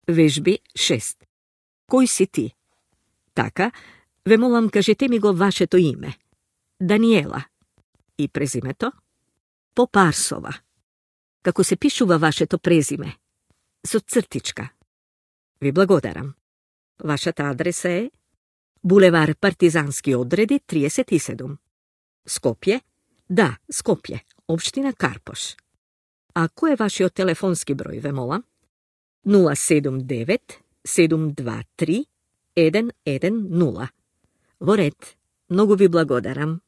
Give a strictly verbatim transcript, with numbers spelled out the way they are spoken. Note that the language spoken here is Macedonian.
Вежби шест. Кој си ти? Така, ве молам, кажете ми го вашето име. Даниела. И презимето? Попарсова. Како се пишува вашето презиме? Со цртичка. Ви благодарам. Вашата адреса е булевар Партизански одреди триесет и седум. Скопје? Да, Скопје, општина Карпош. А кој е вашиот телефонски број, ве молам? нула седум девет седум два три еден еден нула. Во ред, многу ви благодарам.